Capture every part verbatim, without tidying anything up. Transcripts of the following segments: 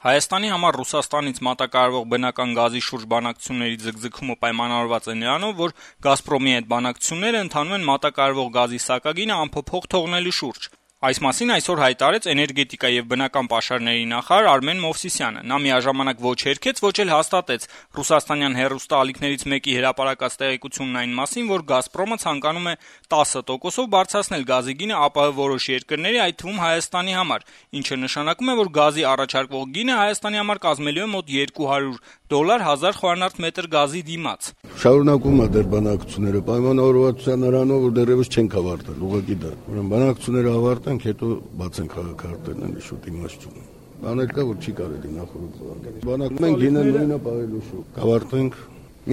Հայաստանի համար Ռուսաստանից մատակարարվող բնական գազի շուրջ բանակցությունների ձգձգումը պայմանավորված է նրանով, որ «Գազպրոմի» հետ բանակցությունները ընթանում են մատակարարվող գազի սակագինը անփոփոխ թողնելու շուրջ։ Այս մասին այսօր հայտարարեց էներգետիկա եւ բնական պաշարների նախարար Արմեն Մովսիսյանը։ Նա միաժամանակ ոչ հերքեց, ոչ էլ հաստատեց ռուսաստանյան հեռուստաալիքներից մեկի հրապարակած տեղեկությունն այն մասին, որ «Գազպրոմը» ցանկանում է տասը տոկոսով բարձրացնել գազի գինը ԱՊՀ որոշ երկրների, այդ թվում Հայաստանի համար, ինչը նշանակում է, որ գազի առաջարկվող գինը Հայաստանի համար կազմելու է մոտ երկու հարյուր դոլար հազար խորանարդ մետր գազի դիմաց։ Շարունակում է դեռ բանակցությունները պայմանավորվածության նրանով, որ դեռևս չենք ավարտել, ուղղակի դա։ Ուրեմն բանակցությունները ավարտենք, հետո բացենք քաղաքարտերն են շուտ իմաստուն։ Բաներ կա, որ չի կարելի նախորդ բան։ Բանակում ենք գինը նույնը պահելու շուտ։ Կավարտենք,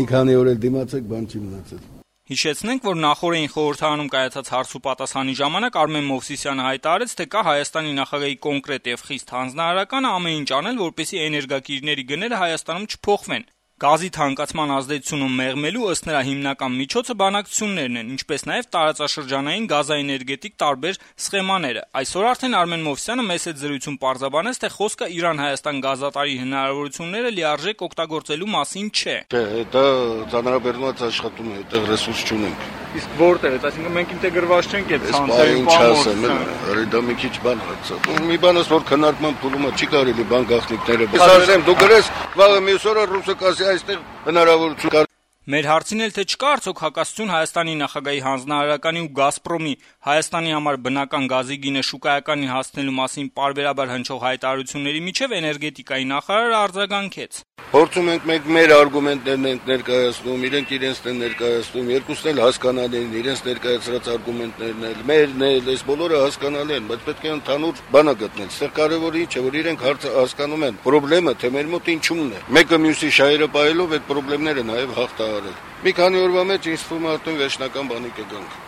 մի քանի օր էլ դիմացեք, բան չի մնացել։ Հիշեցնենք, որ նախորդին խորհրդարանում կայացած հարց ու պատասխանի ժամանակ Արմեն Մովսիսյանը հայտարարեց, թե կա Հայաստանի նախագահի կոնկրետ եւ խիստ հանձնարարականը ամեն ինչ անել, որպեսզի էներգակիրների գները Հայաստանում չփոխվեն։ Գազի թանկացման ազդեցությունը մեղմելու ըստ նրա հիմնական միջոցը բանակցություններն են, ինչպես նաև տարածաշրջանային գազաէներգետիկ տարբեր սխեմաները։ Այսօր արդեն Արմեն Մովսիսյանը մեծ հետ զրույցում պարզաբանեց, թե խոսքը Իրան-Հայաստան գազատարի հնարավորությունները լիարժեք օգտագործելու մասին չէ։ Չէ, դա ծանրաբեռնված աշխատում է, այդտեղ ռեսուրս չունենք։ Իսկ որտեղ է, այսինքն մենք ինտեգրված չենք այդ ցանցերին պահում, արի դա մի քիչ բան է։ Մի բանս որ քննարկման փուլումը չի կարելի բան գաղտնիքները։ Ես ասեմ, դու գրես, վաղը մյուս օրը ռուսը կասի այստեղ հնարավորություն կա։ Մեր հարցին էլ թե չկա արդյոք հակասություն Հայաստանի նախագահի հանձնարարականի ու «Գազպրոմի» Հայաստանի համար բնական գազի գինը շուկայականին հասցնելու մասին պարբերաբար հնչող հայտարարությունների միջև էներգետիկայի նախարարը արձագանքեց։ Փորձում ենք մենք մեր արգումենտներն ենք ներկայացնում, իրենք իրենց են ներկայացնում, երկուսն էլ հասկանալի են, իրենց ներկայացրած արգումենտներն էլ, մերն էլ, այս բոլորը հասկանալի են, բայց պետք է ընդհանուր բան գտնել։ Ստեղ կարևորը ինչ է, որ իրենք հարցը հասկանում են, խնդրեմը թե մեր մոտ ինչումն է։ Մեկը մյուսի շահերը պահելով այդ խնդիրները նաև հաղթահարել։ Մի քանի օրվա մեջ ինձ թվում է արդեն վերջնական բանի կգանք։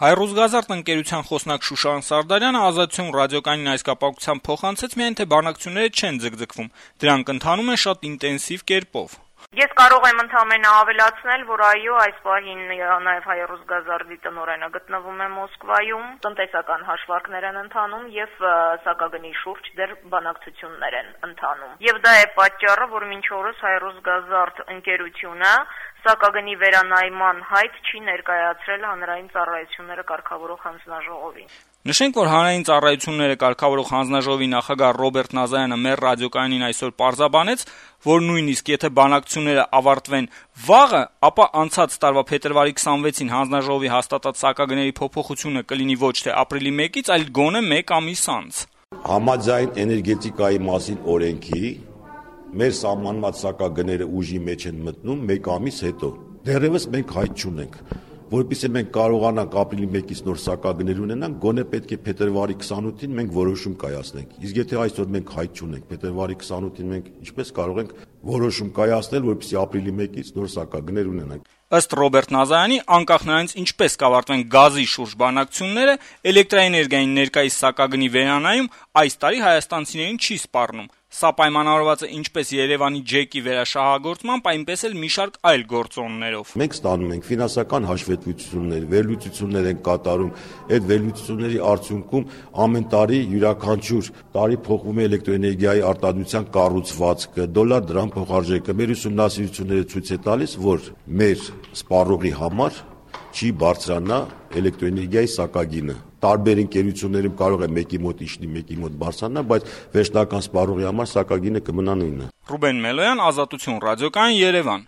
Հայ-Ռուսգազարդ ընկերության խոսնակ Շուշան Սարդարյանը Ազատություն ռադիոկայանին այս կապակցությամբ փոխանցեց միայն, թե բանակցությունները չեն ձգձգվում, դրանք ընթանում են շատ ինտենսիվ կերպով։ Ես կարող եմ ընդհանրապես ավելացնել, որ այո, այս պահին նաև Հայ-Ռուսգազարդի տնօրենը գտնվում է Մոսկվայում, տնտեսական հաշվարկներ են ընթանում եւ սակագնի շուրջ դեռ բանակցություններ են ընթանում։ Եվ դա է պատճառը, որ մինչ օրս Հայ-Ռուսգազարդ ընկերությունը սակագնի վերանայման հայտ չի ներկայացրել հանրային ծառայությունները կարգավորող հանձնաժողովին։ Նշենք, որ հանրային ծառայությունները կարգավորող հանձնաժողովի նախագահ Ռոբերտ Նազարյանը մեր ռադիոկայանին այսօր պարզաբանեց, որ նույնիսկ եթե բանակցությունները ավարտվեն վաղը, ապա անցած տարվա փետրվարի քսանվեցին հանձնաժողովի հաստատած սակագների փոփոխությունը կլինի ոչ թե ապրիլի մեկից, այլ գոնե մեկ ամիս անց։ Համաձայն էներգետիկայի մասին օրենքի մեր սահմանված սակագները ուժի մեջ են մտնում մեկ ամիս հետո։ Դեռևս մենք հայտ չունենք, որովհետեւ մենք կարողանանք ապրիլի մեկից նոր սակագներ ունենանք, գոնե պետք է փետրվարի քսանութին մենք որոշում կայացնենք։ Իսկ եթե այսօր մենք հայտ չունենք, փետրվարի քսանութին մենք ինչպես կարող ենք որոշում կայացնել, որպեսզի ապրիլի մեկից նոր սակագներ ունենանք։ Ըստ Ռոբերտ Նազարյանի, անկախ նրանից ինչպես կավարտվեն գազի շուրջ բանակցությունները, էլեկտրաէներգիային ներկայիս սակագնի վերանայում այս տարի հայաստանցիներին չի սպառնում։ Սա պայմանավորված է ինչպես Երևանի ջեկի վերաշահագործմամբ, այնպես էլ մի շարք այլ գործոններով։ Մենք ստանում ենք ֆինանսական հաշվետվություններ, վերլուծություններ են կատարում, այդ վերլուծությունների արդյունքում ամեն տարի յուրաքանչյուր տարի փոխվում է էլեկտրոէներգիայի արտադրության կառուցվածքը, դոլար դրամ փոխարժեքը։ Մեր ուսումնասիրությունները ցույց է տալիս, որ մեր սպառողի համար չի բարձրանա էլեկտրոէներգիայի սակագինը։ Տարբեր ընկերություններում կարող է մեկի մոտ իջնի, մեկի մոտ բարձրանա, բայց վերջնական սպառողի համար սակագինը կմնա նույնը։ Ռուբեն Մելոյան, Ազատություն ռադիոկայան, Երևան։